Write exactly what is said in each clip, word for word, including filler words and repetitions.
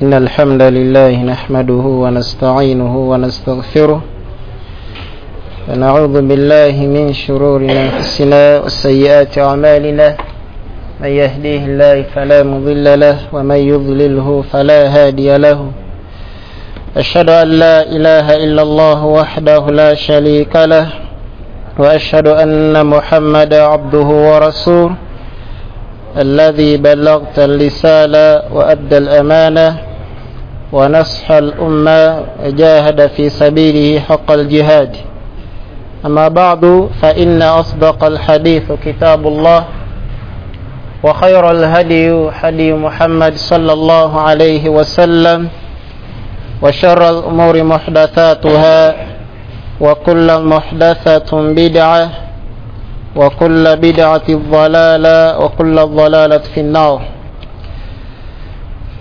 إن الحمد لله نحمده ونستعينه ونستغفره ونعوذ بالله من شرور أنفسنا وسيئات أعمالنا، من يهديه الله فلا مضل له ومن يضلله فلا هادي له. أشهد أن لا إله إلا الله وحده لا شريك له، وأشهد أن محمدا عبده ورسوله الذي بلغت الرسالة وأدى الأمانة ونصح الأمة وجاهد في سبيله حق الجهاد. أما بعد، فإن أصدق الحديث كتاب الله، وخير الهدي هدي محمد صلى الله عليه وسلم، وشر الأمور محدثاتها، وكل محدثة بدعة، وكل بدعة ضلالة، وكل ضلالة في النار.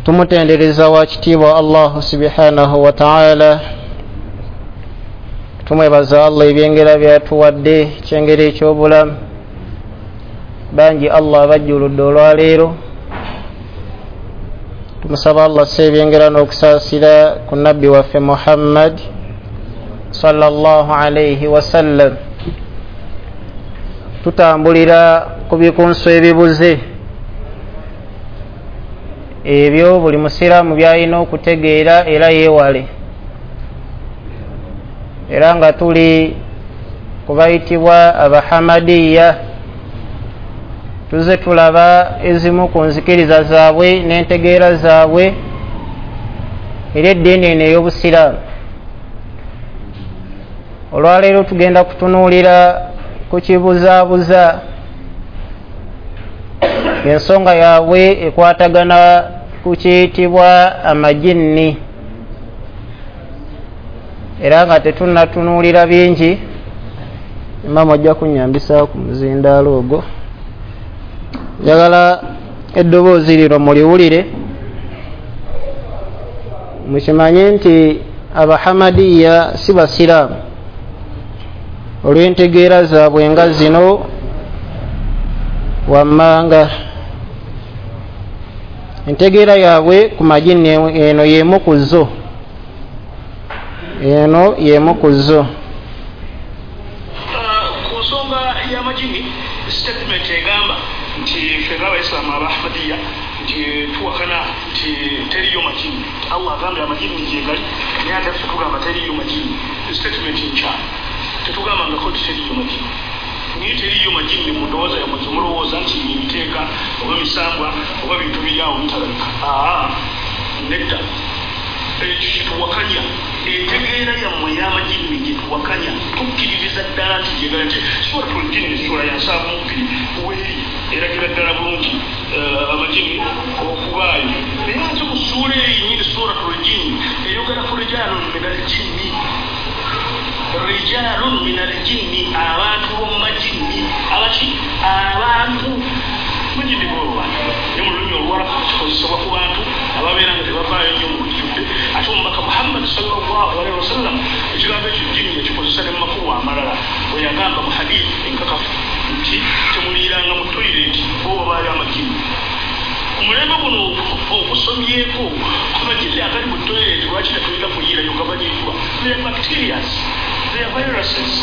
Tumutendereza wakitiibwa Allah subhanahu wa ta'ala, tumwebaza Allah ebyengera byatuwadde, ekyengera eky'obulamu. Bangi Allah abajjuludde olwaleero. Tumusaba Allah asse ebyengera n'okusaasira ku nabbi waffe Muhammad sallallahu alayhi wasallam. Tutambulira ku bikunso ebibuze ebyo buli musiraamu byalina okutegeera era yeewale, era nga tuli kubayitibwa abahamadiya. Tuze tulaba ezimu ku nzikiriza zaabwe n'entegeera zaabwe era eddiini eno ey'obusiraamu. Olwaleero tugenda kutunuulira ku kibuzaabuza, ensonga yaabwe ekwatagana ku kiyitibwa amajinni, era nga tetunnatunuulira bingi. Imamu ajja kunnyambisaako ku muzindaalo ogwo. Njagala eddoboozi lino muliwulire, mukimanye nti abahamadiya si basiraamu olw'entegeera zaabwe nga zino wammanga. Entegeera yaabwe ku majinni eno y'emu ku zo, eno y'emu ku zo. Ku nsonga y'amajinni, statement egamba nti ffe ng'abayisiraamu abahmadiya nti tuwakana nti teriyo majinni. Allah agambye amajinni gyegali, naye ate ffe tugamba teriyo majinni. Statement nkyamu, tetugambangako nti teriyo majinni. Naye teriyo majinni mu ndowooza yammwe mulowooza nti ebiteeka oba misambwa oba bintu biri awo bitalabika. Aa, nedda, ekyo kyetuwakanya. Entegeera yammwe ey'amajinni gyetuwakanya, tukkiririza ddala nti gyegala. Nti Suratul Jinni sura ya nsanvu mu bbiri weeri eragira ddala bulungi amajinni okubaayo. Naye ate mu ssuula eyo yennyini Suratul Jinni eyogera ku rijalun minal jinni, rijalun minal jinni, abantu b'omu majinni. Abaki? Abantu majinni bo bantu, ne mu lulimi Oluwarabu kikozesebwa ku bantu ababeera nga tebavaayo nnyo mu lujjudde. Ate omubaka Muhammad sallallahu alaihi wasallam ekigambo ekyo jinni yakikozesa ne mu makubo amalala, bwe yagamba mu hadith enkakafu nti temuliiranga mu toilet bo babaayo amajinni. Ku mulembe guno okusomyeko amajinni agali mu toilet, lwaki tetulina kuyiirayo gamanyiddwa? They are bacterias, they are viruses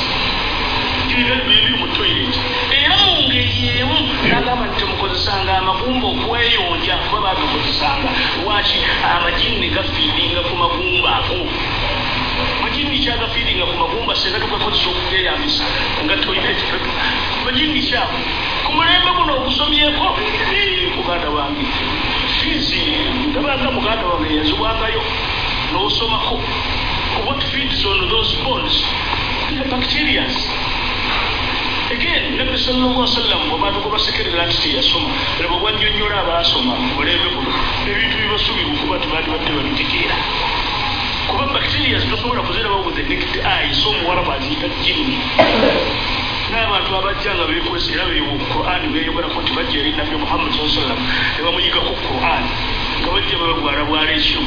biri mu toilet. Era mu ngeri emu nagamba nti temukozesanga amagumba okweyonja, kuba babikozesanga. Lwaki? Amajinni gafiidinga ku magumba ago. Majinni kyagafiidinga ku magumba, senga tugakozesa okugeyambisa nga toilet. Majinni kyabo ku mulembe guno okusomyeko. Muganda wange, fiizi ndabanga muganda wange yazibwangayo n'osomako. What feeds on those bones? The bacterias. Again, Nabbi sallallahu alaihi wasallam bw'abantu basekerera nti teyasoma, laba bw'annyonnyola abaasoma mu mulembe guno ebintu bibasuubirwa okuba nti bandibadde babitegeera. Kuba bacteria tosobola kuziraba with the naked eye, so omuwarabu aziyita jinni. N'abantu abajja nga beekwesa era beewo Qur'an beeyogerako nti bajja eri Nabbi Muhammad sallallahu alaihi wasallam ne bamuyigako Qur'an, nga bajja babagwala bwala ekiro.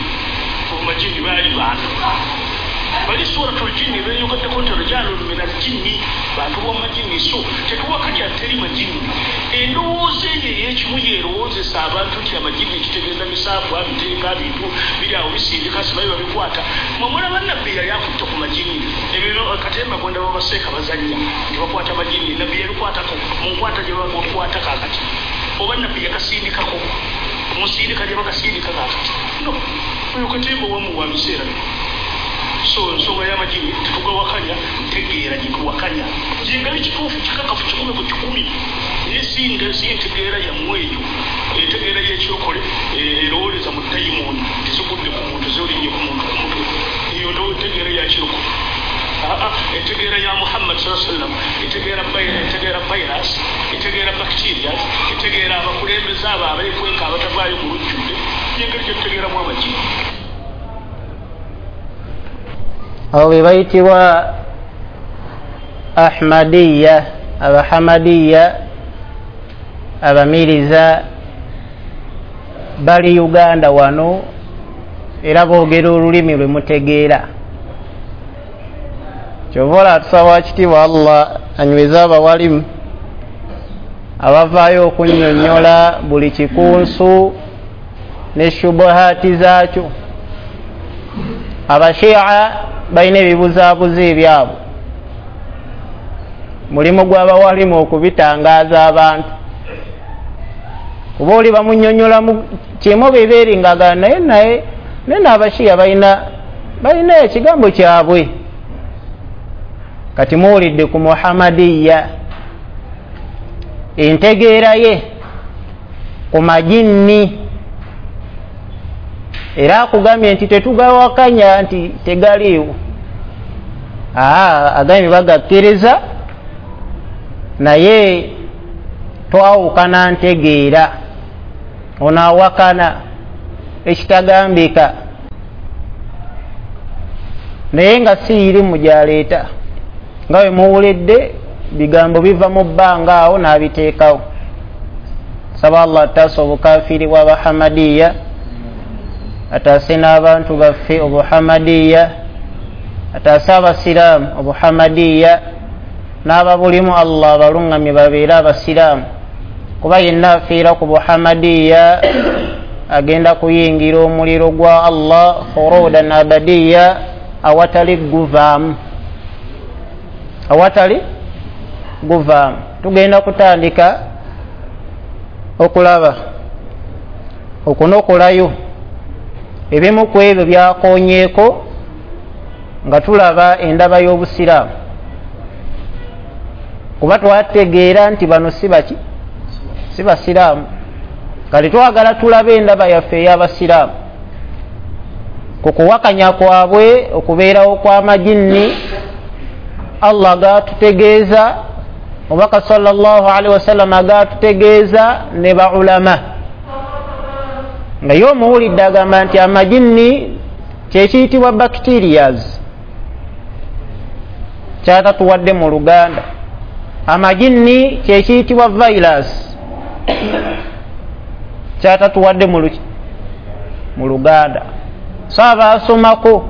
Amajinni baali bantu. Bali suratul jinni beyogeddeko nti rijalun min aljinni, bantu b'omumajinni. So tetuwakanya teri majinni. Endowooza eyo ey'ekimu yeerowoozesa abantu nti amajinni kitegeeza misaabwa, biteeka bintu biri awo bisindika, sibayi babikwata. Mwe mulaba nabbi yali akutte ku majinni. Ebyo katemba gonda babaseeka bazannya nti bakwata majinni. Nabbi yabikwatako mu nkwata gye bakwata kaakati, oba nabbi yakasindikako musindika gye bakasindika kaakati. No, oyo katemba wamuwa biseera bino. So ensonga y'amajinni tetugawakanya, ntegeera gye tuwakanya jingali kituufu kikakafu kikumi ku kikumi, naye si ntegeera yammwe eyo. Entegeera y'ekyokole erowooleza mu dayimooni tezigudde ku muntu, zolinnye ku muntu ku mutwe. Eyo ntegeera ya kirokole. Entegeera ya Muhammad sallallahu alaihi wasallam etegeera etegeera virus, etegeera bacteria, etegeera abakulembeze abo abeekweka abatavaayo mu lujjudde. Y'engeri gye tutegeeramu amajinni. Abo be bayitibwa Ahmadiyya, Abahamadiya, Abamiriza, bali Uganda wano era boogera olulimi lwe mutegeera. Kyova olaba tusaba kitiibwa Allah anyweze abawalimu abavaayo okunnyonnyola buli kikunsu ne shubuhaati zaakyo. Abashia balina ebibuzaabuza ebyabwe, mulimu gw'abawalimu okubitangaaza abantu. Kuba oli bamunnyonnyolamu kimu bebeeringaga naye naye naye n'abashiya balina balina ekigambo kyabwe. Kati muwulidde ku Muhammadiya entegeera ye ku majinni, era akugambye nti tetugawakanya nti tegaliiwo. Aa, agambye bagakkiriza naye twawukana ntegeera. Ono awakana ekitagambika naye nga si irimu gy'aleeta, nga bwe muwulidde bigambo biva mu bbanga awo n'abiteekawo. Saba Allah ataase obukafiiri bw'Abahamadiya, ataase n'abantu baffe obuhamadiya, ataase abasiraamu obuhamadiya, n'ababulimu Allah abaluŋŋamye babeere abasiraamu. Kuba yenna afiira ku buhamadiya agenda kuyingira omuliro gwa Allah khurudan abadiya, awatali guvaamu, awatali guvaamu. Tugenda kutandika okulaba okunokolayo ebimu ku ebyo byakonyeeko nga tulaba endaba y'obusiraamu, kuba twategeera nti bano si baki, si basiraamu. Kale twagala tulabe endaba yaffe ey'abasiraamu ku kuwakanya kwabwe okubeerawo kw'amajinni. Allah gatutegeeza, Omubaka sallallahu alaihi wasallam agatutegeeza ne baulama. Nga ye omuwulidde agamba nti amajinni kyekiyitibwa bacterias, kyatatuwadde mu Luganda. Amajinni kyekiyitibwa virus, kyatatuwadde mu Luganda. So abaasomako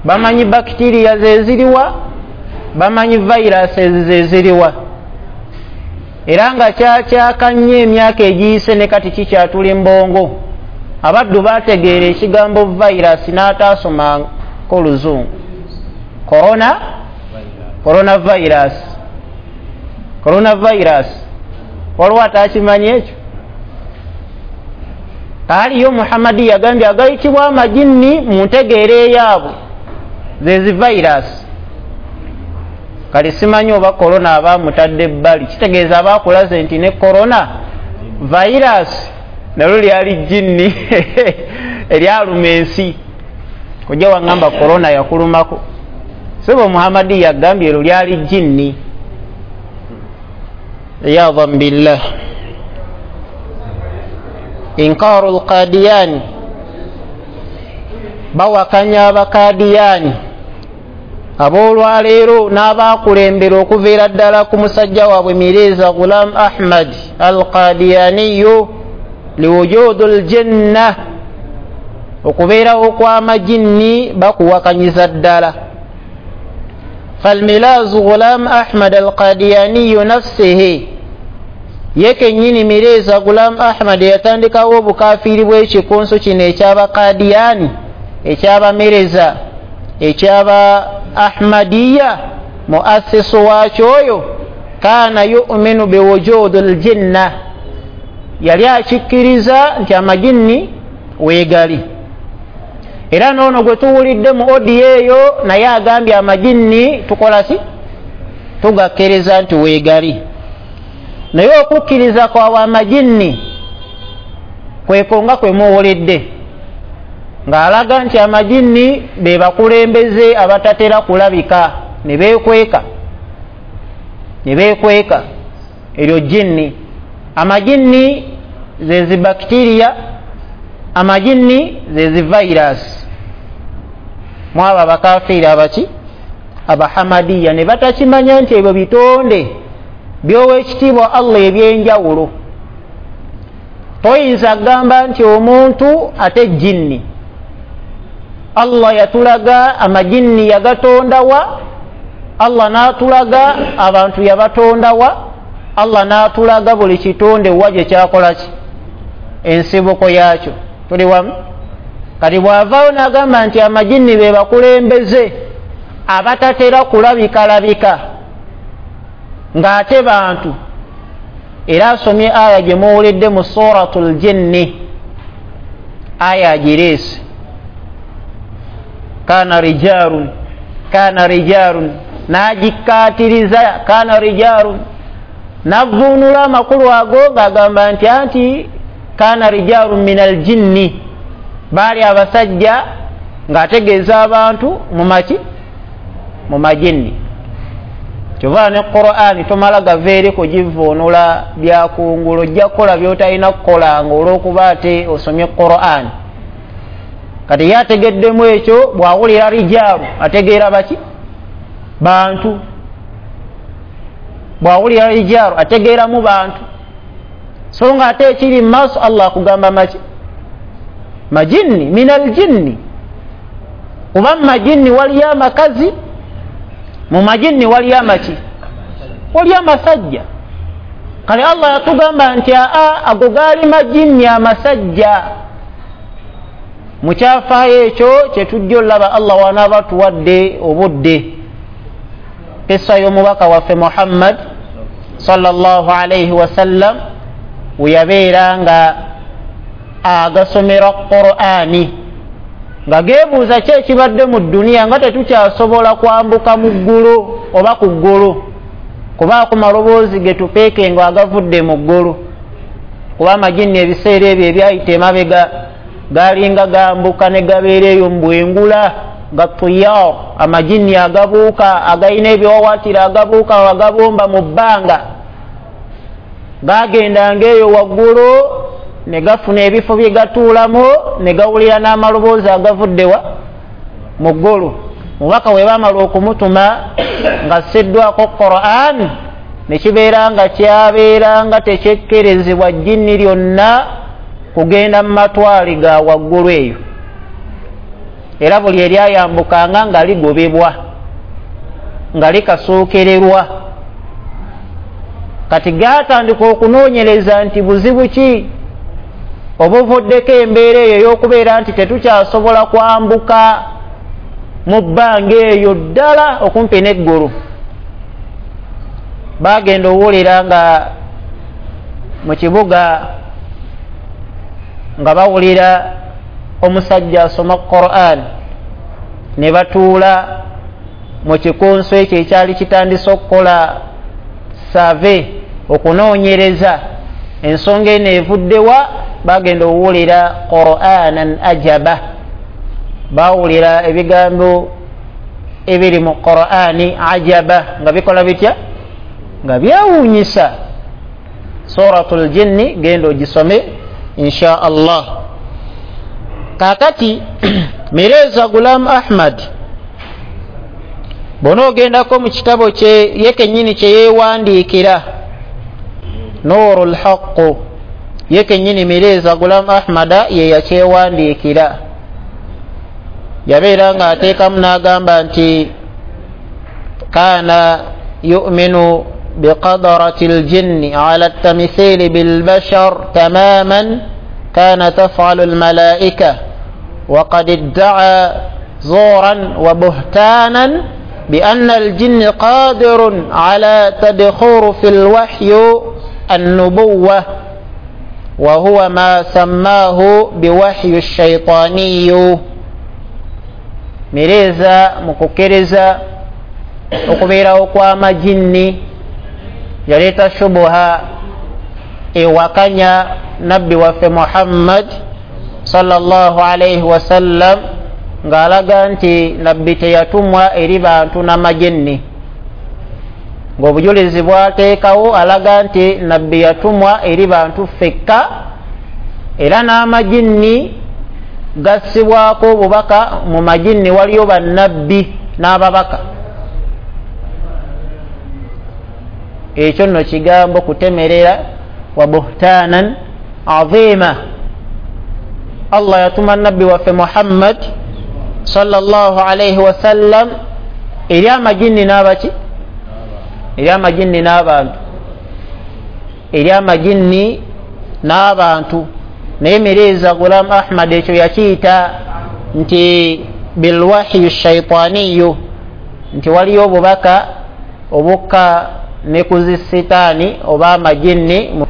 bamanyi bacteria zeziriwa, bamanyi viruses zeziriwa, era nga kyakyaka nnyo emyaka egiyise ne kati kikyatula embongo. Abaddu bategeera ekigambo virus n'ataasomako Oluzungu. Corona, coronavirus, coronavirus. Waliwo atakimanyi ekyo? Kaaliyo Muhammadi yagambye agayitibwa amajinni mu ntegeera eyaabwe zezi virus. Kale simanyi oba korona aba mutadde ebbali, kitegeeza aba akulaze nti ne korona virus nalyo lyali jinni eryaluma ensi. Kojja waŋŋamba korona yakulumako, sebo Muhammadi yagambye eryo lyali jinni. Iyadhan billah. Inkaru lqadiyani, bawakanya abakadiyani aboolwaleero n'abaakulembera okuviira ddala ku musajja waabwe Mirza Ghulam Ahmad al-Qadiyaniyu liwujudu ljanna, Okubeerawo kw'amajinni bakuwakanyiza ddala. Falmilazu Ghulam Ahmad Alqadiyaniyu nafsihi, ye kennyini Mireza Gulam Ahmad yatandikawo obukafiiri bw'ekikunsu kino eky'Abakadiyani, ekyabamereza, ekyaba Ahmadiya, muassisu waakyo oyo kaana yuminu biwujudi ljinna, yali akikkiriza nti amajinni weegali. Era noono gwe tuwulidde mu odiyo eyo naye agambye amajinni tukola ki? Tugakkiriza nti weegali. Naye okukkiriza kwawe amajinni kweko nga kwe muwulidde, ng'alaga nti amajinni be bakulembeze abatatera kulabika ne beekweka, ne beekweka. Eryo jinni. Amajinni ze zibakitiriya, amajinni ze zivirus. Mwaba abakafiiri abaki Abahamadiya ne batakimanya nti ebyo bitonde by'owekitiibwa Allah ebyenjawulo. Toyinza kugamba nti omuntu ate jinni. Allah yatulaga amajinni yagatondawa, Allah n'atulaga abantu yabatondawa, Allah n'atulaga buli kitonde wa gye kyakola ki, ensibuko yaakyo. Tuli wamu? Kati bw'avaawo n'agamba nti amajinni be bakulembeze abatatera kulabikalabika ng'ate bantu, era asomye aya gye muwulidde mu Suratul Jinni, aya agireese, kana rijalun, kana rijalun, n'agikkaatiriza kana rijalun, n'avvuunula amakulu ago ng'agamba nti anti kana rijalun min aljinni, baali abasajja ng'ategeeza abantu mu maki, mu majinni. Kyova ne Qur'ani tomala gava eri kugivuunula byakungulu, ojja kukola by'otalina kukola ng'olw'okuba ate osomye Qur'ani. Kati ye ategeddemu ekyo, bw'awulira rijaalu ategeera baki? Bantu. Bw'awulira rijaalu ategeeramu bantu. So nga ate ekiri mu maaso Allah akugamba maki? Majinni, min aljinni. Kuba mu majinni waliyo amakazi, mu majinni waliyo amaki? Waliyo amasajja. Kale Allah yatugamba nti aa, ago gaali majinni amasajja. Mu kyafaayo ekyo kyetujja olaba Allah wanaaba tuwadde obudde, kissa y'omubaka waffe Muhammad sallallahu alaihi wasallam we yabeera nga agasomera Qur'ani, nga geebuuza ki ekibadde mu dduniya nga tetukyasobola kwambuka mu ggulu oba ku ggulu, kubaako maloboozi ge tupeeke nga agavudde mu ggulu, kuba amajinni ebiseera ebyo ebyayita emabega galinga gambuka ne gabeera eyo mu bwengula, ga tuyar, amajinni agabuuka agayina ebiwawaatiro agabuuka agabomba mu bbanga, gagendanga eyo waggulu ne gafuna ebifo bye gatuulamu ne gawulira n'amaloboozi agavuddewa mu ggulu. Mubaka we baamala okumutuma ng'assiddwako Qur'an, ne kibeera nga kyabeera nga tekyekkerezebwa jinni lyonna kugenda mu matwale ga waggulu eyo, era buli eryayambukanga nga ligobebwa, nga likasookererwa. Kati gaatandika okunoonyereza nti buzibu ki obuvuddeko embeera eyo ey'okubeera nti tetukyasobola kwambuka mu bbanga eyo ddala okumpi n'eggulu. Baagenda owulira nga mu kibuga nga bawulira omusajja asoma Qur'an, ne batuula mu kikunsu ekyo ekyali kitandise okukola save, okunoonyereza ensonga eno evuddewa. Bagenda owulira Qur'anan ajaba, bawulira ebigambo ebiri mu Qur'ani ajaba nga bikola bitya? Nga byewuunyisa. Suratul Jinni genda ogisome insha Allah. Kaakati Mirza Ghulam Ahmad bw'onoogendako mu kitabo kye ye kennyini kye yeewandiikira Nurul Haqq, ye kennyini Mirza Ghulam Ahmada ye yakyewandiikira. Yabeera nga ateekamu n'agamba nti kaana yuminu biqadarati ljinni ala tamithili bilbashar tamaman kana tafalu lmalaika waqad iddaa zuran wa buhtanan بأن الجن قادر على تدخور في الوحي النبوة وهو ما سماه بوحي الشيطاني. Mireza mu kukkiriza okubeerawo kw'amajinni yaleeta shubuha ewakanya nabbi waffe Muhammad sallallahu alaihi wasallam, ng'alaga nti nabbi teyatumwa eri bantu n'amajinni, ng'obujulizi bwateekawo alaga nti nabbi yatumwa eri bantu ffekka, era n'amajinni gassibwako obubaka. Mu majinni waliyo bannabbi n'ababaka. Ekyo nno kigambo kutemerera wa buhtanan azima. Allah yatuma nabbi waffe Muhammad sallallahu alaihi wasallam eri amajinni n'abaki, eri amajinni n'abantu, eri amajinni n'abantu. Naye Mirza Ghulam Ahmad ekyo yakiyita nti bilwahyi shaitaniyu, nti waliyo obubaka obukka ne ku zisitaani oba amajinni,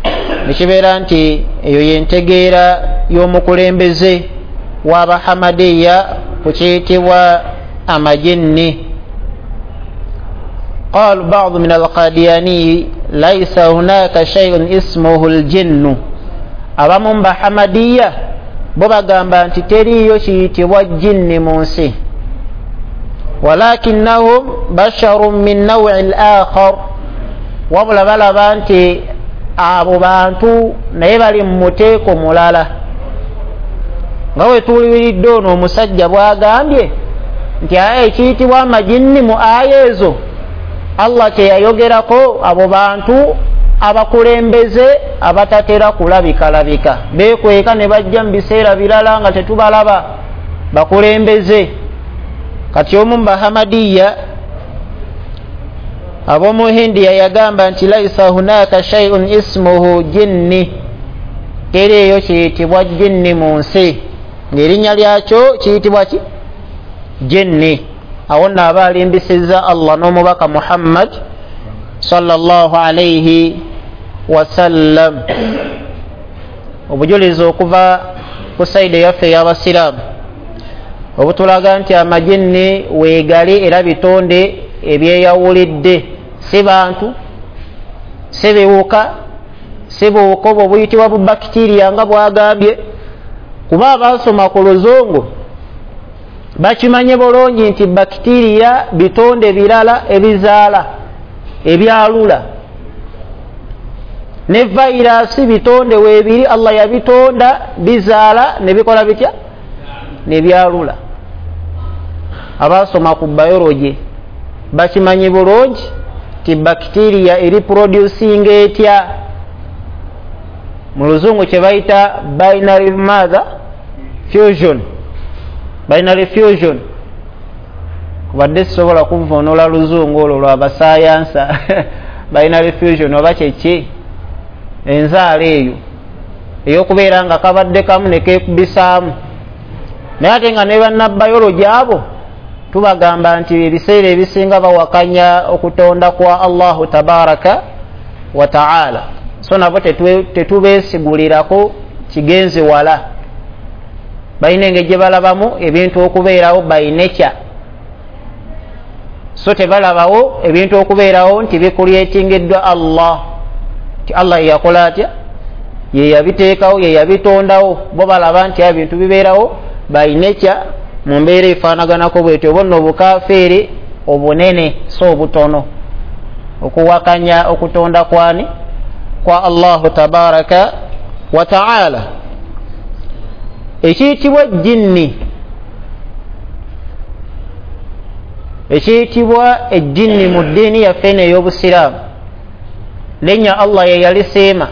nekibeera nti eyo yentegeera y'omukulembeze w'abahamadiya ku kiyitibwa amajinni. Qalu ba'du min alqadiyani laisa hunaka shay'un ismuhu aljinnu. Abamu mu bahamadiya bo bagamba nti teriiyo kiyitibwa jinni mu nsi, walakinnahum basharun min naw'i al-akhar, wabula balaba nti abo bantu naye bali mu muteeko mulala. Nga we tuwuliridde ono omusajja bw'agambye nti aya ekiyitibwa amajinni mu aya ezo Allah kyeyayogerako abo bantu abakulembeze abatatera kulabikalabika, beekweka ne bajja mu biseera birala nga tetubalaba, bakulembeze. Kati omu mu bahamadiya ab'omu Hindiya yagamba nti laisa hunaka shay'un ismuhu jinni, teriiyo kiyitibwa jinni mu nsi, ng'erinnya lyakyo kiyitibwa ki? Jinni. Awo nno aba alimbisizza Allah n'omubaka Muhammad sallallahu alaihi wasallam. Obujulizi okuva ku saide yaffe ey'abasiraamu obutulaga nti amajinni weegali era bitonde ebyeyawulidde, si bantu, si biwuka, si buwuka obwo buyitibwa bubakitiriya nga bwagambye. Kuba abasoma ku luzungu bakimanye bulungi nti bakitiriya bitonde birala ebizaala ebyalula, ne vairasi bitonde weebiri Allah yabitonda bizaala ne bikola bitya? Ne byalula. Abasoma ku biology bakimanyi bulungi ti bakitiriya eri producing etya, mu luzungu kye bayita binary mother fusion, binary fusion. Kubadde sisobola kuvvuunula luzungu olwo lw'abasayansa binary fusion oba kyeki, enzaala eyo ey'okubeera nga kabadde kamu ne keekubisaamu. Naye ate nga ne bannabayology abo tubagamba nti ebiseera ebisinga bawakanya okutonda kwa Allahu tabaraka wa taala, so nabo tetubeesigulirako kigenzi wala. Balina engeri gye balabamu ebintu okubeerawo by nature, so tebalabawo ebintu okubeerawo nti bikuliyetingiddwa Allah, nti Allah yeyakola atya, ye yabiteekawo, ye yabitondawo. Bo balaba nti ebintu bibeerawo by nature mu mbeera efaanaganako bwetyo. Bonna obukafiiri obunene so obutono, okuwakanya okutonda kwani kwa Allahu tabaraka wa taala. Ekiyitibwa jinni, ekiyitibwa ejjinni mu ddiini yaffe eno ey'obusiraamu, linnya Allah ye yalisiima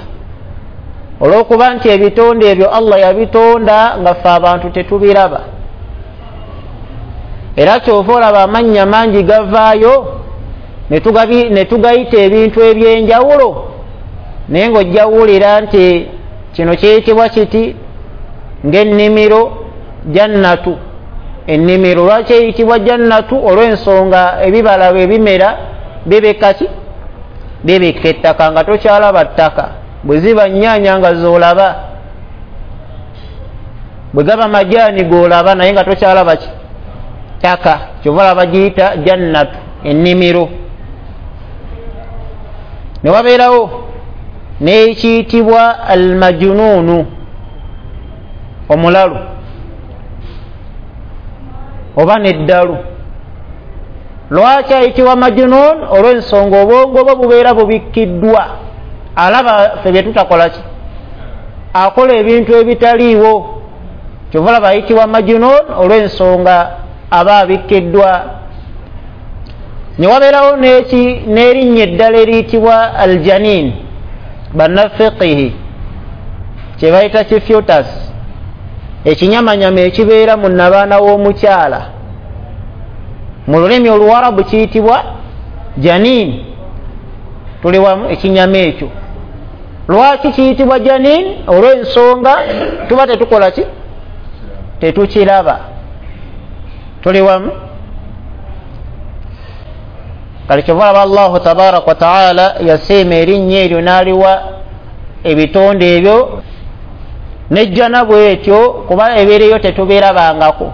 olw'okuba nti ebitonde ebyo Allah yabitonda nga ffe abantu tetubiraba. Era kyova olaba amannya mangi gavaayo ne tugayita ebintu ebyenjawulo, naye ng'ojja wulira nti kino kiyitibwa kiti ng'ennimiro jannatu. Ennimiro lwaki eyitibwa jannatu? Olw'ensonga ebibala bwe bimera bibikka ki? Bibikka ettaka nga tokyalaba ttaka. Bwe ziba nnyaanya nga z'olaba, bwe gaba majaani g'olaba naye nga tokyalaba ki? Ttaka. Kyova olaba giyita jannatu, ennimiro. Ne wabeerawo n'ekiyitibwa almajunuunu, omulalu oba n'eddalu. Lwaki ayitibwa majunuun? Olw'ensonga obwongo bwe bubeera bubikkiddwa, alaba ffe bye tutakola ki, akola ebintu ebitaliiwo. Kyova olaba ayitibwa majunuun olw'ensonga aba abikkiddwa. Ne wabeerawo n'erinnya eddala eriyitibwa aljanin, bannafiqihi kye bayita kifutas, ekinyamanyama ekibeera mu nnabaana w'omukyala. Mu lulimi oluwarabu kiyitibwa janin. Tuli wamu? Ekinyama ekyo lwaki kiyitibwa janin? Olw'ensonga tuba tetukola ki? Tetukiraba. Tuli wamu? Kale kyova olaba Allahu tabaraka wa taala yasiima erinnya eryo n'aliwa ebitonde ebyo nejjana bwetyo, kuba ebeereyo tetubirabangako.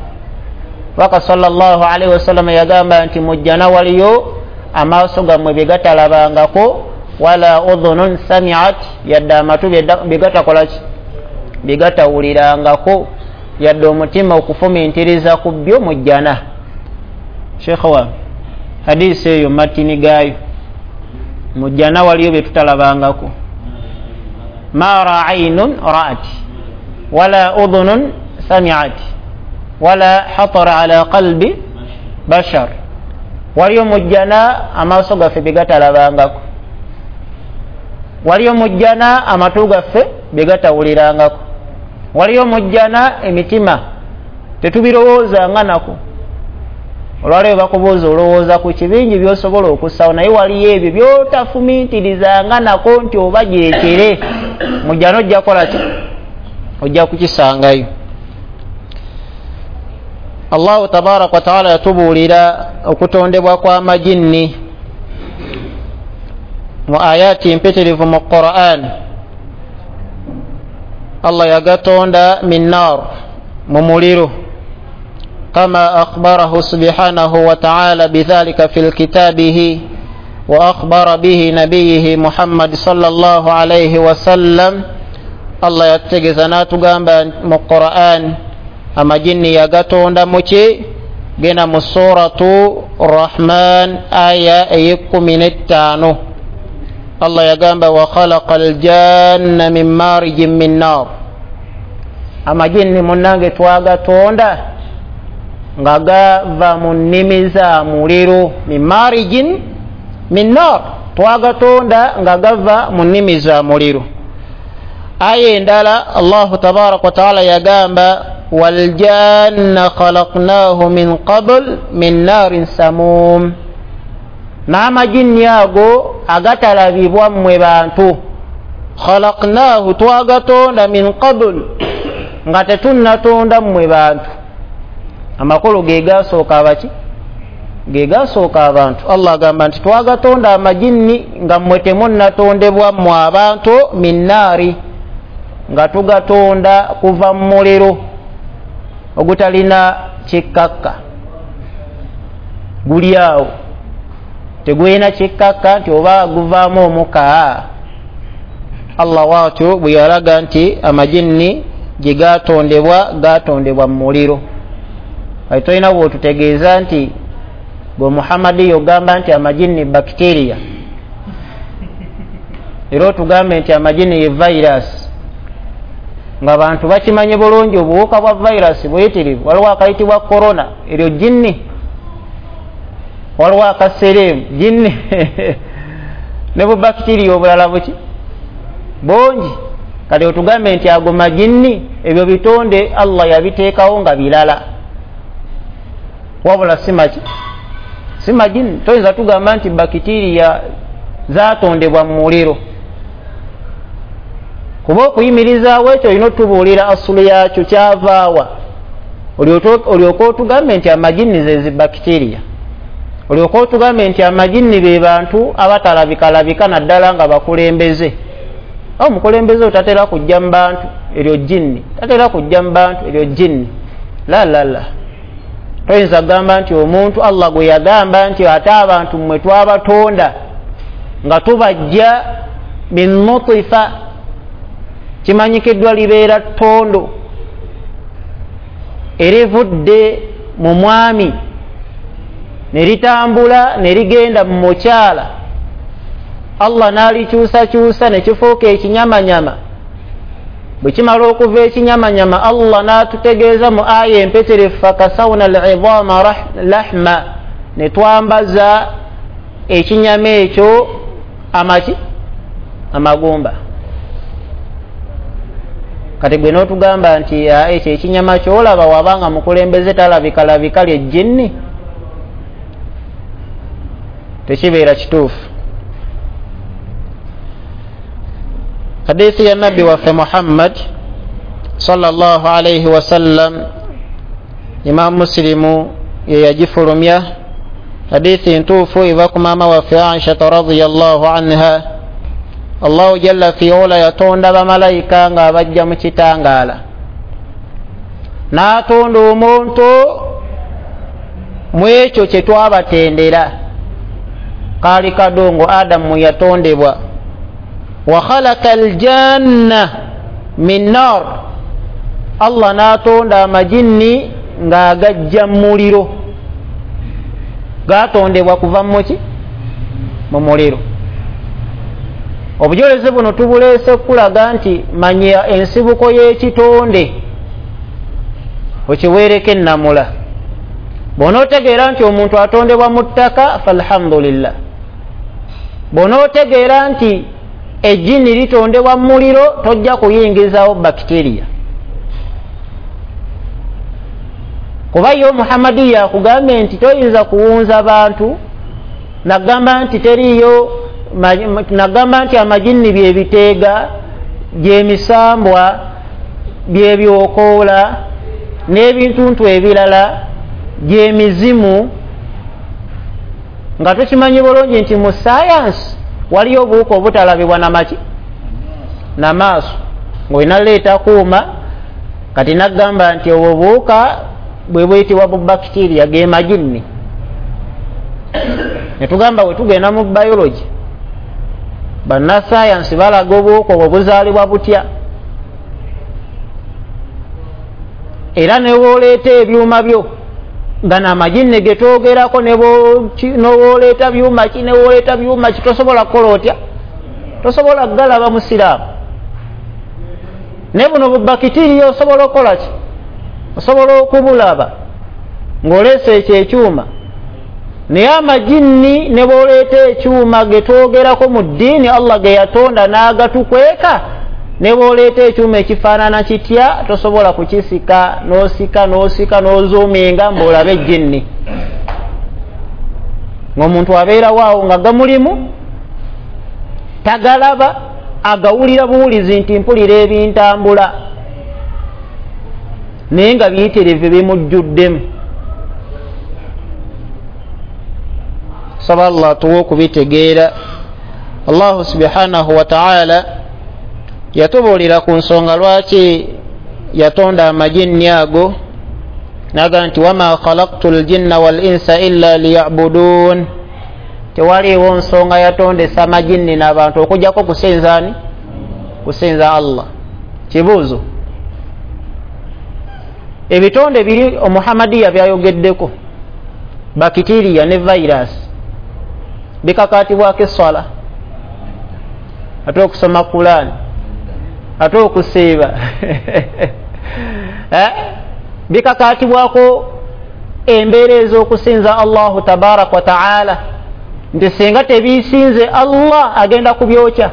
Baka sallallahu alaihi wasallam yagamba nti mujjana waliyo amaaso gammwe bye gatalabangako, wala udhunun sami'at, yadde amatu bye gatakola ki? Bye gatawulirangako, yadde omutima okufumintiriza ku byo mujjana. Sheikh wa hadisi eyo matini gaayo, mujjana waliyo bye tutalabangako. Ma ra'aynun ra'at wala udhunun sami'at wala hatara ala qalbi bashar. Waliyo mujjana amaaso gaffe bye gatalabangako, waliyo mujjana amatu gaffe bye gatawulirangako, waliyo mujjana emitima tetubirowoozanga nako. Olwaleero bakubuuza olowooza ku kibingi by'osobola okussawo, naye waliyo ebyo by'otafumiitirizanga nako nti oba gyekere mujjana ojja kukola ki? Ojja kukisangayo. Allahu tabaraka wa taala yatubuulira okutondebwa kw'amajinni mu ayati mpitirivu mu Qur'an. Allah yagatonda min nar, mu muliro, kama akhbarahu subhanahu wa ta'ala bidhalika fi kitabihi wa akhbara bihi nabiyihi Muhammad sallallahu alayhi wa sallam. Allah yategeeza n'atugamba mu Qur'an amajinni yagatonda muki? Genda mu suratu Rahman aya ey'ekkumi n'ettaano. Allah yagamba wa khalaqa aljanna min marijin min nar. Amajinni munnange twagatonda nga gava mu nnimi za muliro. Min marijin min nar, twagatonda nga gava mu nnimi za muliro. Aya endala Allahu tabaraka wa taala yagamba waljanna khalaqnahu min qabl min narin samum. N'amajinni ago agatalabibwa mmwe bantu, khalaqnahu, twagatonda, min qabl, nga tetunnatonda mmwe bantu. Amakulu ge gasooka abaki? Ge gasooka abantu. Allah agamba nti twagatonda amajinni nga mmwe temunnatondebwa mmwe abantu, min naari, nga tugatonda kuva mu muliro ogutalina kikkakka, guli awo tegulina kikkakka nti oba guvaamu omuka. Allah waatyo bwe yalaga nti amajinni gye gatondebwa gatondebwa mu muliro. Kati tolina bw'otutegeeza nti gwe Muhammadi yogamba nti amajinni bacteria, era otugambe nti amajinni ye virus, nga bantu bakimanye bulungi obuwuka bwa virus buyitirivu. Waliwo akayitibwa corona, eryo jinni, waliwo akasereemu jinni ne bubacteria obulala buki bungi. Kati otugambe nti ago majinni, ebyo bitonde Allah yabiteekawo nga bilala. Wabula si maki si majini. Toyinza tugamba nti bakitiriya zatondebwa mu muliro, kuba okuyimirizaawo ekyo olina otubuulira asulu yakyo kyavaawa, olyoke otugambe nti amajini ze zibakitiriya, olyoke otugambe nti amajini be bantu abatalabikalabika naddala nga bakulembeze. Omukulembeze otatera kujja mu bantu, eryo jinni, tatera kujja mu bantu, eryo jinni. La la la, toyinza kugamba nti omuntu Allah gwe yagamba nti ate abantu mmwe twabatonda nga tubajja min nutifa, kimanyikiddwa libeera ttondo erivudde mu mwami ne litambula ne ligenda mu mukyala, Allah n'alikyusakyusa ne kifuuka ekinyamanyama. Bwe kimala okuva ekinyamanyama, Allah n'atutegeeza mu aya empeterefu, fakasawna al-idhama lahma, ne twambaza ekinyama ekyo amaki amagumba. Kati gwe n'otugamba nti ekyo ekinyama ky'olaba wabanga mukulembeze talabikalabika ly'ejjinni, tekibeera kituufu. Hadithi ya Nabbi waffe Muhammad sallallahu alayhi wasallam, Imam Muslimu ye yagifulumya. Hadithi ntuufu eva ku maama waffe Aisha radhiyallahu anha. Allahu jalla fi ula yatonda bamalayika nga abajja mu kitangaala, n'atonda omuntu mu ekyo kye twabatendera, kaali kadongo Adamu yatondebwa. Wa khalaqa aljanna min nar, Allah n'atonda amajinni ng'agajja mu muliro, gatondebwa kuva muki mu muliro. Obujulizi buno tubuleese kulaga nti manya ensibuko y'ekitonde okiweereko ennamula. Bw'onootegeera nti omuntu atondebwa mu ttaka, falhamdulillah. Bw'onootegeera nti ejjini litondebwa mu muliro, tojja kuyingizaawo bakitiriya. Kuba yo Muhammadiya akugambye nti toyinza kuwunza bantu, nagamba nti teriiyo, nagamba nti amajinni byebiteega, gyemisambwa, byebyokoola n'ebintuntu ebirala, gyemizimu, nga tukimanyi bulungi nti mu sayansi waliyo obuwuka obutalabibwa namaki namaaso, ng'olina leeta kuuma. Kati nagamba nti obwo obuwuka bwe buyitibwa bu bakitiriya, ge majinni. Ne tugamba bwe tugenda mu biology, bannasayansi balaga obuwuka obwo buzaalibwa butya, era ne bw'oleeta ebyuma byo gano amajinni ge twogerako, ne bw'oleeta byuma ki ne bw'oleeta byuma ki, tosobola kukola otya, tosobola kugalaba musiraamu. Naye buno bubakitiriya osobola okukola ki, osobola okubulaba ng'oleese ekyo ekyuma. Naye amajinni ne bw'oleeta ekyuma ge twogerako mu ddiini Allah ge yatonda n'agatukweka, ne bw'oleeta ekyuma ekifaanana kitya tosobola kukisika, n'osika n'osika n'ozuuminga mbw'olabe ejjinni. Ng'omuntu abeerawo awo nga gamulimu tagalaba, agawulira buwulizi nti mpulira ebintambula, naye nga biyitirivu bimujjuddemu. Saba Allah atuwe okubitegeera. Allahu subhanahu wa ta'ala yatubuulira ku nsonga lwaki yatonda amajinni ago, naga nti wama khalaqtu ljinna wal insa illa liyabudun, tewaliiwo nsonga yatondesa amajinni n'abantu okujjako kusinza ani? Kusinza Allah. Kibuuzo, ebitonde biri Omuhammadiya byayogeddeko, bakitiriya ne virus, bikakaatibwako esswala, ate okusoma Kulaani, ate okusiiba bikakaatibwako embeera ez'okusinza Allahu tabaraka wa taala, nti singa tebisinze Allah agenda kubyokya.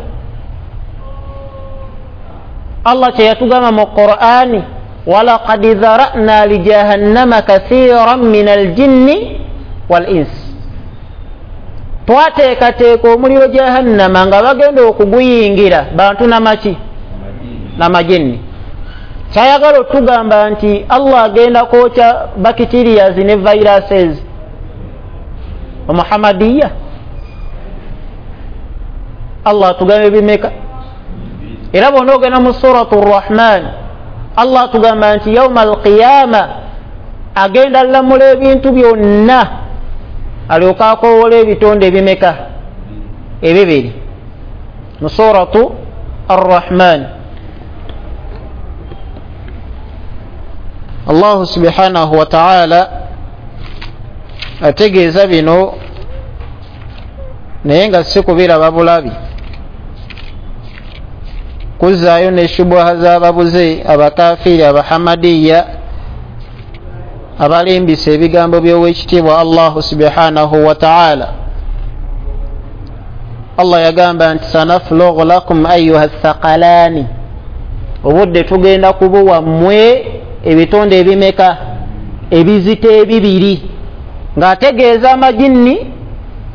Allah kye yatugamba mu Qur'ani, Walaqad dhara'na lijahannama kathiran min aljinni wal ins, twateekateeka omuliro jahannama nga bagenda okuguyingira bantu namaki namajinni. Kyayagala otugamba nti Allah agenda kwokya bacterias ne viruses omuhammadiya. Allah atugamba ebimeka. Era bw'onoogenda mu suratu Rahman, Allah atugamba nti yauma alqiyama agenda lamula ebintu byonna, alyoka akoowola ebitonde ebimeka ebibiri mu suratu Arrahman. Allahu subhanahu wa ta'ala ategeeza bino naye nga si kubiraba bulabi, kuzzaayo ne shubuha z'ababuze abakafiiri abahamadiya abalimbisa ebigambo by'owekitiibwa Allahu subhanahu wa ta'ala. Allah yagamba nti sanaflughu lakum ayuha thaqalani, obudde tugenda kubuwa mmwe ebitonde ebimeka ebizito ebibiri, ng'ategeeza amajinni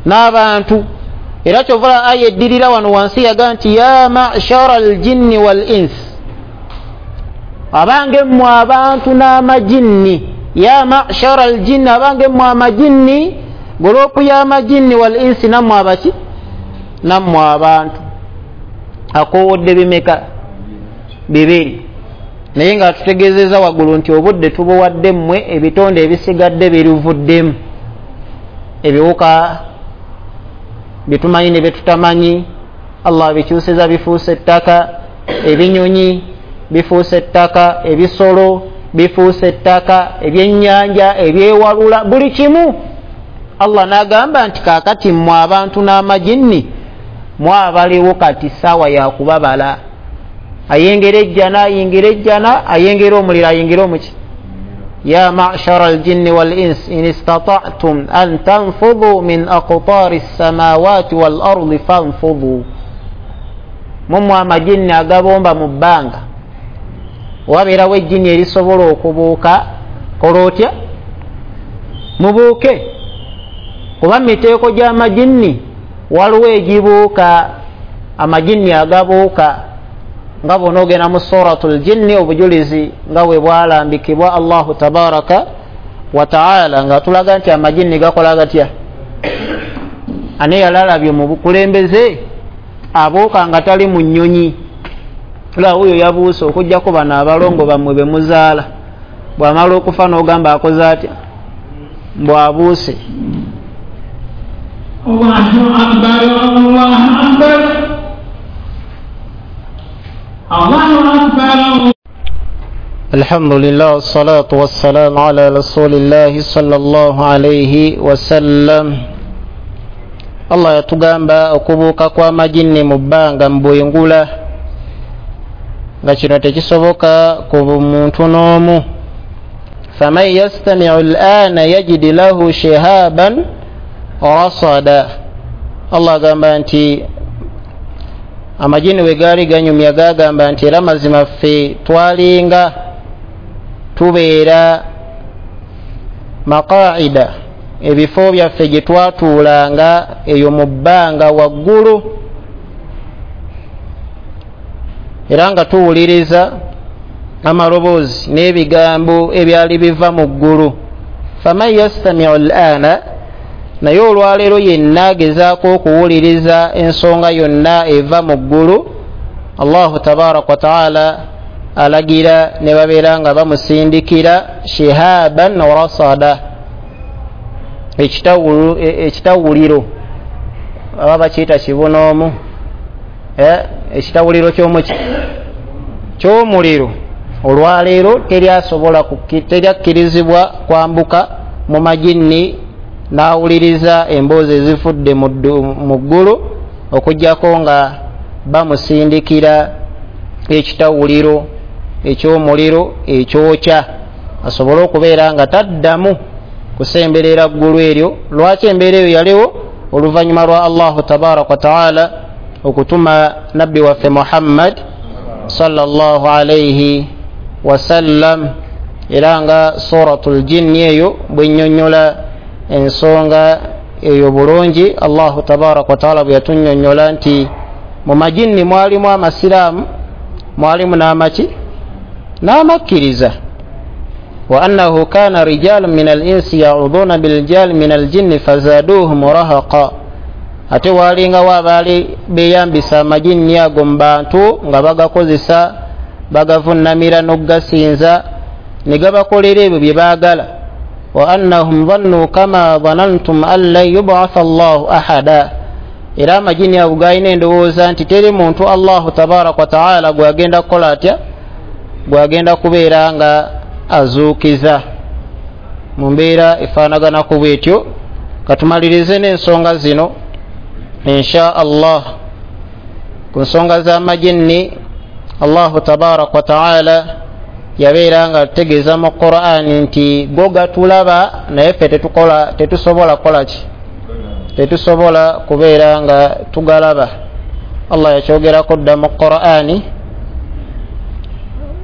n'abantu. Era kyovula aya eddirira wano wansi yaga nti ya ma'shara aljinni wal ins, abange mmwe abantu n'amajinni. Ya ma'shara aljinni, abange mmwe amajinni, golopu y'amajinni wal insi, nammwe abaki nammwe abantu. Akoowodde bimeka bibiri, naye nga tutegeezezza waggulu nti obudde tubuwadde mmwe ebitonde ebisigadde biruvuddemu, ebiwuka byetumanyi ne byetutamanyi Allah bikyusiza bifuuse ettaka, ebinyonyi bifuuse ettaka, ebisolo bifuuse ettaka, ebyennyanja ebyewalula, buli kimu. Allah n'agamba nti kaakati mmwe abantu n'amajinni mwabaliwo kati ssaawa ya kubabala. Ayengera ejjana ayingira ejjana, ayengera omuliro ayingira omuki. Ya ma'shara aljinni wal ins in istata'tum an tanfudhu min aqtari as-samawati wal ardi fanfudhu. Mumwe amajinni agabomba mu bbanga, wabeerawo ejjinni erisobola okubuuka, kola otya? Mubuuke. Kuba miteeko gy'amajinni waliwo egibuuka, amajinni agabuuka nga bw'onoogenda mu suratul jinni obujulizi nga bwe bwalambikibwa Allahu tabaraka wa taala, nga tulaga nti amajinni gakola gatya. Ane yalalabye mu bukulembeze abuuka nga tali mu nnyonyi, la oyo yabuuse okuggyako bano abalongo bammwe be muzaala, bw'amala okufa n'ogamba akoze atya, mbw'abuuse. Allahu akbar, Allahu akbar, Allahu akbar. Alhamdulillah wassalatu wassalamu ala rasulillahi sallallahu alayhi wasallam. Allah yatugamba okubuuka kw'amajinni mu bbanga mu bwengula, nga kino tekisoboka ku muntu n'omu. Faman yastami'u al'ana yajid lahu shihaban rasada. Allah agamba nti amajini we gaali ganyumya gagamba nti era mazima ffe twalinga tubeera maqaida, ebifo byaffe gye twatuulanga eyo mu bbanga waggulu, era nga tuwuliriza amaloboozi n'ebigambo ebyali biva mu ggulu. Faman yastami'u al'ana, naye olwaleero yenna agezaako okuwuliriza ensonga yonna eva mu ggulu, Allahu tabaraka wa taala alagira ne babeera nga bamusindikira shihaban rasada, ekitawuliro, aba bakiyita kibunoomu, ekitawuliro ky'omuki ky'omuliro. Olwaleero teryasobola teryakkirizibwa kwambuka mu majinni n'awuliriza emboozi ezifudde mu ggulu, okuggyako nga bamusindikira ekitawuliro eky'omuliro ekyokya, asobole okubeera nga taddamu kusemberera ggulu eryo. Lwaki embeera eyo yaliwo? Oluvannyuma lwa Allahu tabaraka wa taala okutuma nabbi waffe Muhammad sallallahu alayhi wasallam. Era nga suratul jinni eyo bwennyonnyola ensonga eyo bulungi, Allahu tabaraka wataala bwe yatunnyonnyola nti mu majinni mwalimu amasiraamu, mwalimu n'amaki n'amakkiriza. Wa annahu kana rijalun min al-insi ya'uduna bil-rijali min al-jinni fazaduhum rahaqa, ate walingawo abaali beeyambisa amajinni ago mu bantu nga bagakozesa, bagavunnamira n'okugasinza ne gabakolera ebyo bye baagala. Wa annahum dhannu kama dhanantum an lan yub'atha Allahu ahada, era amajinni ago galina endowooza nti teri muntu Allahu tabaraka wa taala gwagenda kukola atya, gwagenda kubeera nga azuukiza mu mbeera efaanagana ku bwetyo. Katumalirize n'ensonga zino insha Allah. Ku nsonga z'amajinni, Allahu tabaraka wa taala yabeera nga ategeeza mu Qur'ani nti go gatulaba naye ffe tetukola, tetusobola kukola ki, tetusobola kubeera nga tugalaba. Allah yakyogerako dda mu Qur'ani,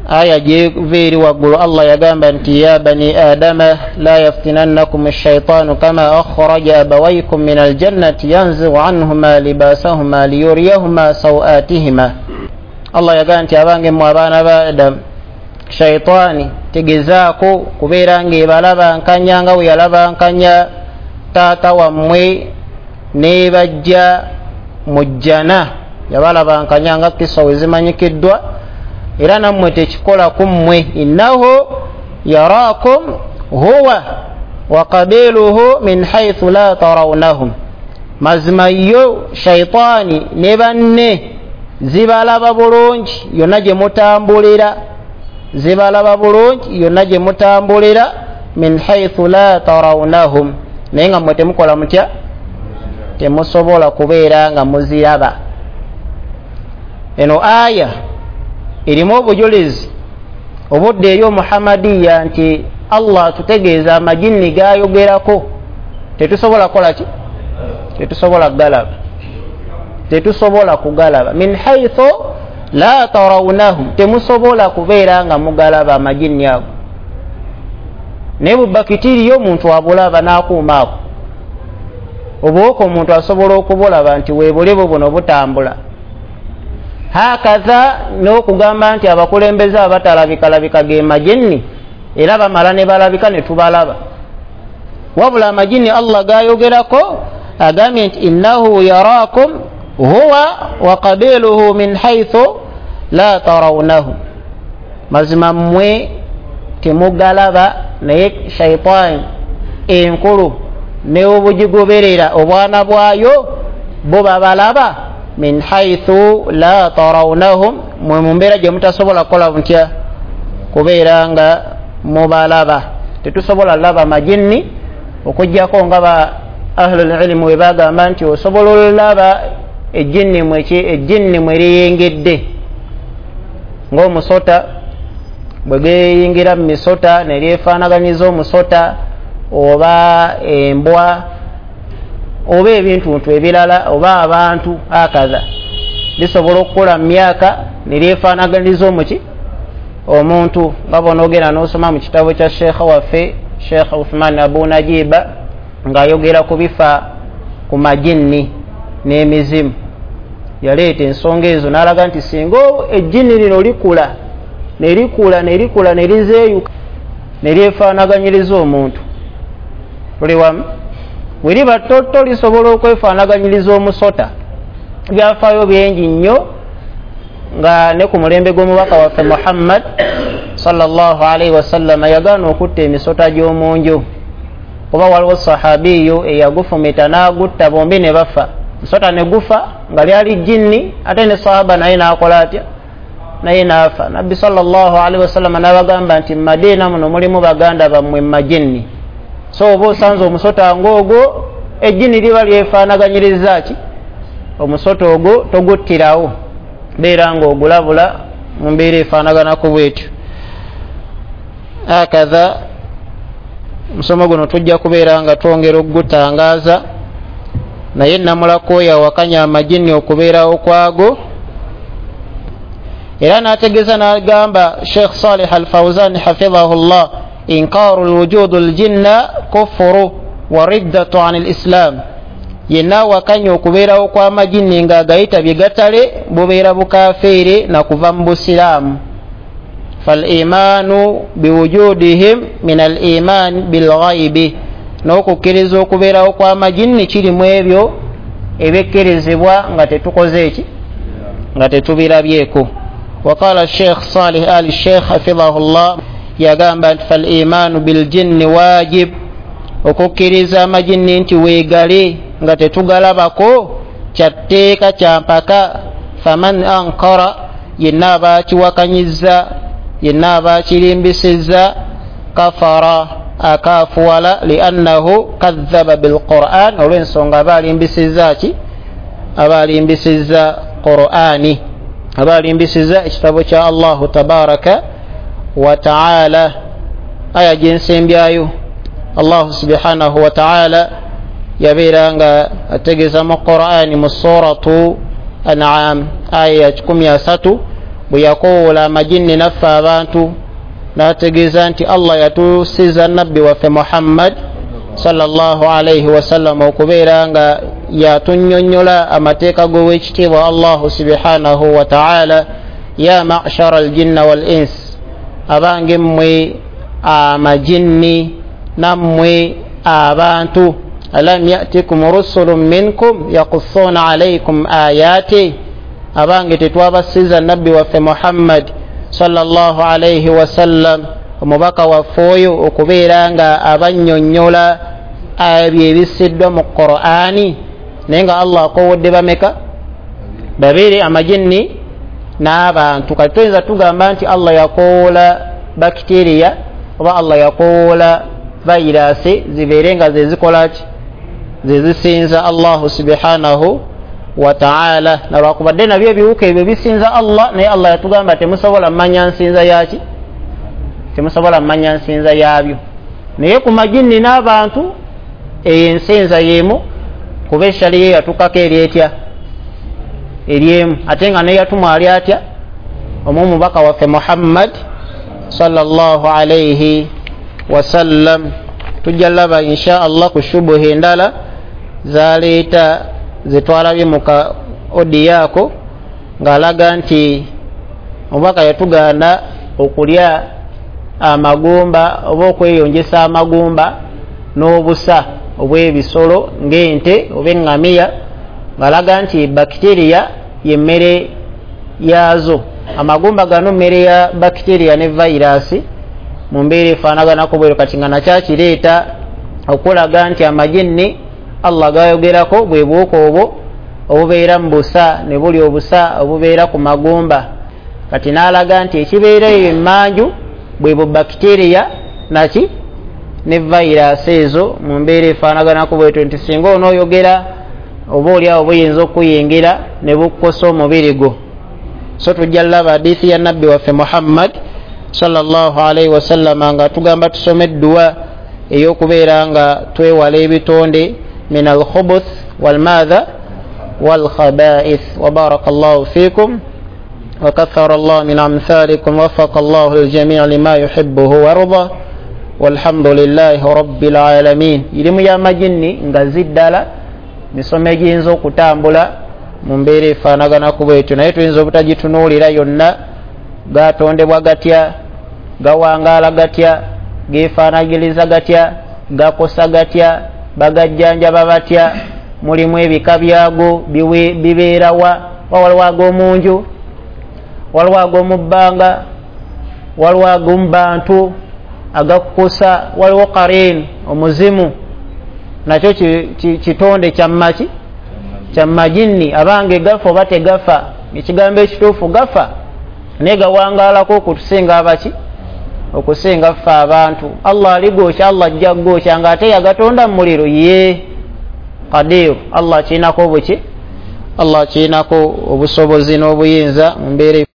aya gyeva eri waggulu. Allah yagamba nti ya bani adama la yaftinannakum ash-shaytanu kama akhraja abawaykum min al-jannati yanzi'u anhuma libasahuma liyuriyahuma sawatihima. Allah yagamba nti abange mmwe abaana ba Adamu, shaytaani tegezaako kubeera ng'ebalaba nkanya nga bwe yalaba nkanya taata wammwe n'ebajja mu jjana, yabalaba nkanya nga kisa we zimanyikiddwa, era nammwe tekikola ku mmwe. Innahu yaraakum huwa wa qabiluhu min haythu la tarawnahum, mazima yo shaytaani ne banne zibalaba bulungi yonna gye mutambulira, zibalaba bulungi yonna gye mutambulira, min haythu la tarawnahum, naye nga mmwe temukola mutya, temusobola kubeera nga muziraba. Eno aya erimu obujulizi obudde eri omuhamadiya nti Allah atutegeeza amajinni gayogerako tetusobola kukola ki, tetusobola kugalaba, tetusobola kugalaba. Min haythu la tarawnahum, temusobola kubeera nga mugalaba amajinni ago. Naye bubakitiriyo omuntu abulaba n'akuuma ako, obuwuka omuntu asobola okubulaba nti weebulibu buno butambula. Hakaza n'okugamba nti abakulembeze abatalabikalabika ge majinni, era bamala ne balabika ne tubalaba. Wabula amajinni Allah gayogerako agambye nti innahu yaraakum huwa wa qabiluhu min haythu la tarawnahum, mazima mmwe temugalaba, naye shaytaani enkulu n'obugigoberera obwana bwayo bo babalaba min haythu la tarawnahum, mwe mu mbeera gye mutasobola kukola mutya, kubeera nga mubalaba. Tetusobola laba majinni okuggyako nga ba ahlul ilmu we bagamba nti osobola olaba ejjinni mweki ejjinni mwe liyingidde, ng'omusota bwe geeyingira mu misota ne lyefaanaganyiza omusota oba embwa oba ebintuntu ebirala oba abantu akaza, lisobola okukula mu myaka ne lyefaanaganyiza omuki omuntu. Nga bw'onoogenda n'osoma mu kitabo kya sheekha waffe Sheikh Uthman Abu Najiba ng'ayogera ku bifa ku majinni n'emizimu, yaleeta ensonga ezo n'alaga nti singa ejjinni lino likula ne likula ne likula ne lizeeyuka ne lyefaanaganyiriza omuntu, tuli wamu, bwe liba ttotto lisobola okwefaanaganyiriza omusota. Byafaayo bingi nnyo nga ne ku mulembe gw'omubaka waffe Muhammad sallallahu alaihi wasallama yagaana okutta emisota gy'omu nju, kuba waliwo sahabiyo eyagufumita n'agutta, bombi ne bafa. Musota ne gufa nga lyali jinni, ate ne sahaba naye n'akola atya, naye n'afa. Nabbi sallallahu alaihi wasallama n'abagamba nti mu Madiina muno mulimu baganda bammwe majinni, so oba osanze omusota ng'ogwo ejjini liba lyefaanaganyiriza ki omusota ogwo, toguttirawo, beera ng'ogulabula mu mbeera efaanagana ku bwetyo. Hakadha omusomo guno tujja kubeera nga twongera okugutangaaza, naye namulako yawakanya amajinni okubeerawo kwago. Era n'ategeeza n'agamba Sheikh Salih Al-Fawzan hafidhahullah, inkaru lwujudu ljinna kufuru wa riddatu an lislam, yenna awakanya okubeerawo kw'amajinni ng'agayita bye gatale bubeera bukafeere na kuva mu busiraamu. Falimanu biwujudihim min aliman bilghaibi, n'okukkiriza okubeerawo kw'amajinni kirimu ebyo ebikkirizibwa nga tetukoze eki nga tetubirabyeko. Waqala Sheikh Salih Ali Sheikh hafidhahullah, yagamba nti falimanu biljinni wajib, okukkiriza amajinni nti weegale nga tetugalabako kyatteeka kyampaka. Faman ankara, yenna abakiwakanyizza, yenna abakirimbisizza, kafara, akafuwala, liannahu kadhaba bilquran, olw'ensonga aba alimbisizza ki? Aba alimbisizza Qur'ani, aba alimbisizza ekitabo kya Allahu tabaraka wa taala. Aya gyensembyayo, Allahu subhanahu wa taala yabeera nga ategeeza mu Qur'ani mu suratu An'am aya ya kikumi asatu, bwe yakowoola amajinni naffe abantu n'ategeeza nti Allah yatusiza nabbi waffe Muhammad sallallahu alaihi wasallam okubeera nga yatunnyonnyola amateeka g'owekitiibwa Allahu subhanahu wa taala. Ya ma'shara aljinna wal ins, abange mmwe amajinni nammwe abantu, alam yatikum rusulun minkum yaqussuna alaykum ayati, abange tetwabasiza nabbi waffe Muhammad sallallahu alaihi wasallam omubaka waffe oyo okubeera nga abannyonnyola ebyo ebisiddwa mu Qur'ani. Naye nga Allah akowodde bameka? Babiri, amajinni n'abantu. Kati tuyinza tugamba nti Allah yakowoola bakitiriya oba Allah yakowoola vayirasi zibeere nga zezikola ki? Zezisinza Allahu subhanahu wa ta'ala. Nalwakubadde nabyo ebiwuka ebyo bisinza Allah, naye Allah yatugamba temusobola mmanya nsinza yaki, temusobola mmanya nsinza yabyo. Naye ku majinni n'abantu eyo ensinza y'emu, kuba eshaliya yatukako eri etya? Eri emu, ate nga naye yatumwa ali atya? Omumubaka waffe Muhammad sallallahu alaihi wasallam. Tujja laba insha Allah ku shubuhi endala zaleeta zetwalabye mu ka odiyaako, ng'alaga nti omubaka yatugaana okulya amagumba oba okweyongesa amagumba n'obusa obw'ebisolo ng'ente oba eŋŋamiya, ng'alaga nti bakitiriya y'emmere yaazo. Amagumba gano mmere ya bakitiriya ne vayirasi mu mbeera efaanaganako bweru. Kati nga nakyakireeta okulaga nti amajinni Allah gayogerako bwe buwuka obwo obubeera mu busa ne buli obusa obubeera ku magumba. Kati n'alaga nti ekibeera eyo emmanju bwe bu bakitiriya naki ne vayirasi ezo mu mbeera efaanaganako bwetyo, nti singa onooyogera oba oliawo buyinza okuyingira ne bukukosa omubiri gwo. So tujja laba hadithi ya nabbi waffe Muhammad sallallahu alaihi wasallama nga tugamba tusome edduwa ey'okubeera nga twewala ebitonde min alkhubuth walmadha walkhaba'ith. Wa barakallahu fikum wa kathara Allah min amthalikum, wafaqa Allahu aljami' lima yuhibbuhu warda, walhamdulillahi rabbil alamin. Irimu y'amajinni nga ziddala misomo egiyinza okutambula mu mbeera efaanaganako bwetyo, naye tuyinza obutagitunuulira yonna. Gatondebwa gatya, gawangaala gatya, geefaanagiriza gatya, gakosa gatya, bagajjanjaba batya, mulimu ebika byago bibeerawa, waliwo ag'omunju, waliwo ag'omu bbanga, waliwo ag'omu bantu agakukosa, waliwo qarin omuzimu, nakyo kitonde kyammaki kyamajinni. Abange gafa oba tegafa? Ekigambo ekituufu gafa, naye gawangaalako okutusinga abaki okusinga ffe abantu. Allah aligokya, Allah ajja kugokya ng'ate yagatonda mu muliro. Ye Qadir, Allah akirinako obuki, Allah akirinako obusobozi n'obuyinza mu mbeera.